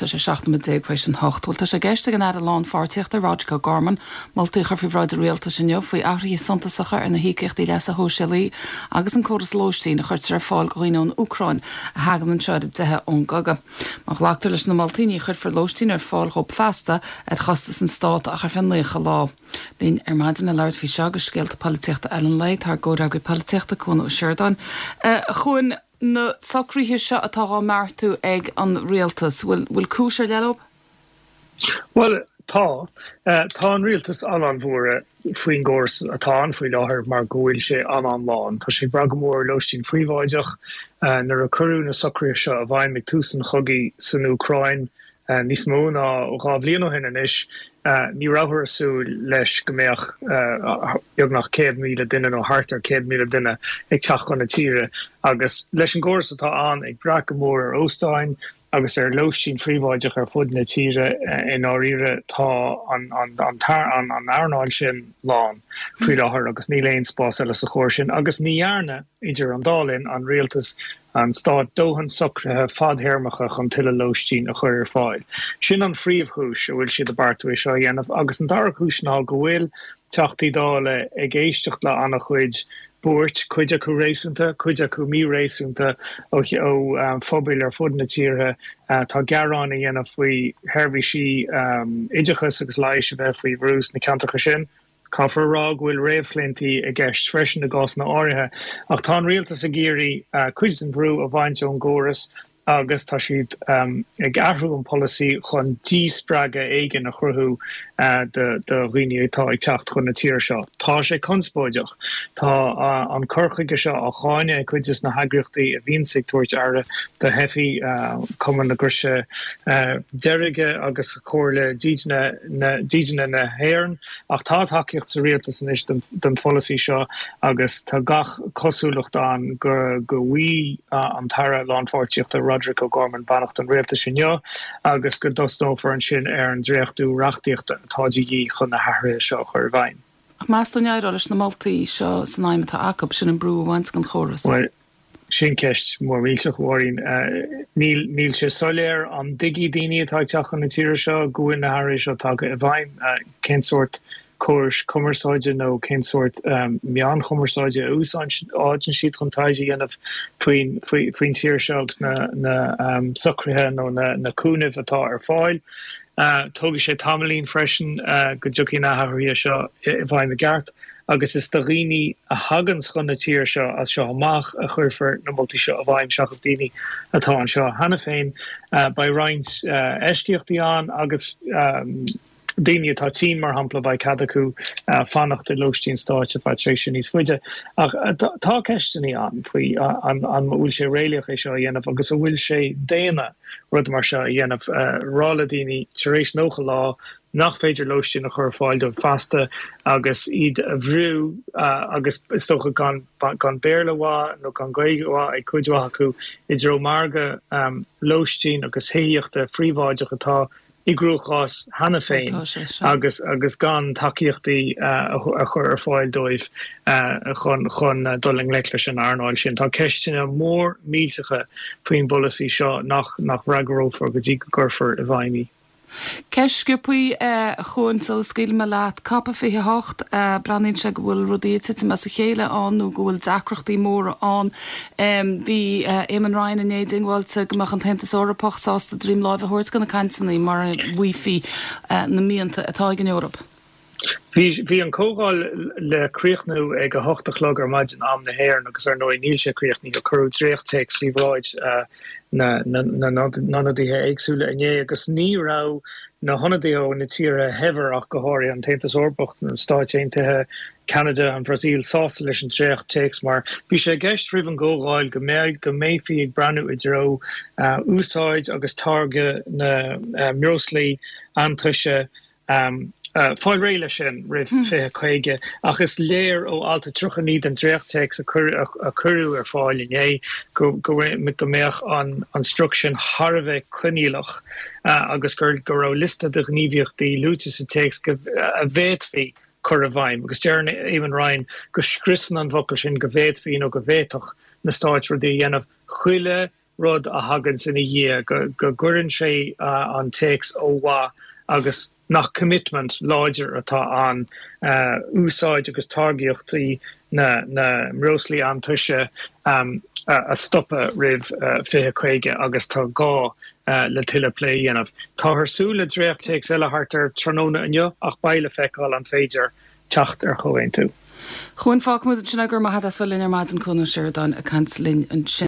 Tá sé 17 nóiméad tar éis an 8. Bhuel, tá sé i gceist ag an Aire Lánpháirtíochta, Roderic O'Gorman, moltaí a chur faoi bhráid an Rialtais inniu faoi athruithe suntasacha ar na híocaíochtaí leasa shóisialaí agus an córas lóistín a chuirtear ar fáil do dhaoine ón Úcráin a thagann anseo ar a dteitheadh ón gcogadh. Má ghlactar leis na moltaí, ní chuirfear lóistín ar fáil dhóibh feasta ar chostas an Stát ach ar feadh 90 lá. Linn ar maidin le labhairt faoi seo agus scéalta polaitíochta eile an lae, tá ár gcomhfhreagraí polaitíochta, Cuan Ó Seireadáin. A Chuain, na socruithe seo atá dhá mbeartú ag an rialtas, bhfuil, bhfuil cúis ar leith leo? Bhuel, tá. Tá an rialtas an-an-bhuartha faoin gcóras atá ann faoi láthair mar go bhfuil sé an-an-lán. Tá sé ag brath go mór ar lóistín phríobháideach. Nuair a cuireadh na socruithe seo i bhfeidhm ag tús an chogaidh san Úcráin, Níos mó ná 2 bhliain ó shin anois, ní rabhthar ag súil leis go mbeadh beagnach 100,000 duine nó thart ar 100,000 duine ag teacht chun na tíre agus leis an gcóras atá ann ag brath go mór ar óstáin agus ar lóistín phríobháideach ar fud na tíre i ndáiríre tá an earnáil sin lán faoi láthair agus níl aon spás eile sa chóras sin agus ní dhearna Idir an dá linn, an rialtas, an stát, dóthain socruithe fadthéarmacha chun tuilleadh lóistín a chur ar fáil. Sin an phríomhchúis a bhfuil siad ag beartú é seo a dhéanamh agus an dara cúis ná go bhfuil Teachtaí Dála ag éisteacht le an-chuid buairt, cuid acu réasúnta, cuid acu míréasúnta, ó phobail ar fud na tíre atá gearáin a dhéanamh faoi sheirbhísí oideachais agus leighis a bheith faoi bhrú sna ceantracha sin. Caithfear a rá go bhfuil réamhchlaontaí i gceist freisin i gcásanna áirithe, ach tá an rialtas ag iarraidh cuid den bhrú a bhaint ón gcóras agus tá siad ag athrú an polasaí chun díspreagadh éigin a chruthú do dhaoine atá ag teacht chun na tíre seo. Tá sé conspóideach. Tá an cur chuige seo á cháineadh ag cuid de na heagraíochtaí a bhíonns ag tabhairt aire do theifigh, Cumann na gCroise Deirge agus Comhairle Dídine na hÉireann. Ach tá tacaíocht sa rialtas anois don pholasaí seo agus tá gach cosúlacht ann go bhfaighidh an tAire Lánpháirtíochta Roderic O'Gorman beannacht an rialtais inniu agus go dtosnófar ansin ar an dréachtú reachtaíochta atá de dhíth chun na hathruithe seo a chur i bhfeidhm. Ach meas tú an éireoidh leis na moltaí seo san aidhm atá acu, sin an brú a bhaint den chóras? Bhuel, Sin ceist mhór mhillteach, a Mháirín. Níl, níl sé soiléir an dtuigfidh daoine atá ag teacht chun na tíre seo go bhfuil na hathruithe seo tagtha i bhfeidhm. Cén sórt córais cumarsáide nó cén sórt meáin chumarsáide a úsáideann siad chun taighde a dhéanamh faoin, faoin tír seo agus na, na socruithe nó na, na cúnaimh atá ar fáil. Tógfaidh sé tamaillín freisin go dtiocfaidh na hathruithe seo i bhfeidhm i gceart. agus is do dhaoine a thaganns chun na tíre seo as seo amach a chuirfear na moltaí seo i bhfeidhm seachas daoine atá anseo cheana féin. Beidh roinnt eisceachtaí ann agus daoine atá tinn, mar shampla, beidh cead acu fanacht i lóistín stáit ar feadh tréimhse níos faide. Ach tá ceisteanna ann faoi an bhfuil sé réalaíoch é seo a dhéanamh agus an bhfuil sé daonna rud mar seo a dhéanamh, rá le daoine tar éis 90 lá nach féidir lóistín a chur ar fáil dóibh feasta agus iad a bhrú agus is dócha gan gan Béarla mhaith nó gan Gaeilge mhaith ag cuid mhaith acu i dtreo margadh lóistín agus thithíochta phríobháideach atá i gcruachás cheana féin agus agus gan tacaíochtaí a chur ar fáil dóibh chun chun dul i ngleic leis an earnáil sin. Tá ceisteanna mór millteacha faoin bpolasaí seo nach nach bhfreagrófar go dtí go gcuirfear i bhfeidhm í. Ceist sciobtha, a Chuain, sula scaoilfidh mé leat. Cop 28, breathnaíonn sé go bhfuil rudaí ag titim as a chéile ann nó go bhfuil deacrachtaí móra ann. Bhí Eamon Ryan inné diongbháilte go mbeadh an tAontas Eorpach sásta droim láimhe a thabhairt do na cainteanna mura bhfaighfí na mianta atá ag an Eoraip. Bhí bhí an comhdháil le críochnú ag 8 a chlog ar maidin am na hÉireann agus ar ndóigh níl sé críochnaithe. Cuireadh dréacht-téacs faoi bhráid na n-ionadaithe éagsúla inné agus ní raibh na hionadaithe ó na tíortha shaibhir ach go háirithe, an tAontas Eorpach, na Stáit Aontaithe, Ceanada, an Bhrasaíl, sásta leis an dréacht-téacs mar bhí sé i gceist roimh an gcomhdháil go mbeidh go mbeifí ag breathnú i dtreo úsáid agus táirgeadh na mbreoslaí iontaise Fáil réidh leis sin roimh 2050, ach is léir ó alt 39 den dréacht-téacs a cuireadh ar fáil inné go mbeadh an sprioc sin thar a bheith coinníollach agus go raibh liosta de ghníomhaíochtaí luaite sa téacs a bhféadfaí cur i bhfeidhm. Agus deir Eamon Ryan go scriosann an focal sin go bhféadfaí nó go bhféadfadh na stáit rudaí a dhéanamh chuile. rud a thaganns ina dhiaidh, go gcuireann sé an téacs ó mhaith agus nach commitment láidir atá ann úsáid agus táirgeachtaí na mbreoslaí iontaise a stopadh roimh 2050 agus tá gá le tuilleadh plé a dhéanamh. Táthar ag súil le dréacht-téacs eile thart ar tráthnóna inniu ach beidh le feiceáil an féidir teacht ar chomhaontú. Chuain, fágfaimid ansin é, go raibh maith agat as bheith linn ar maidin, Cuan Ó Seireadáin ag caint linn ansin.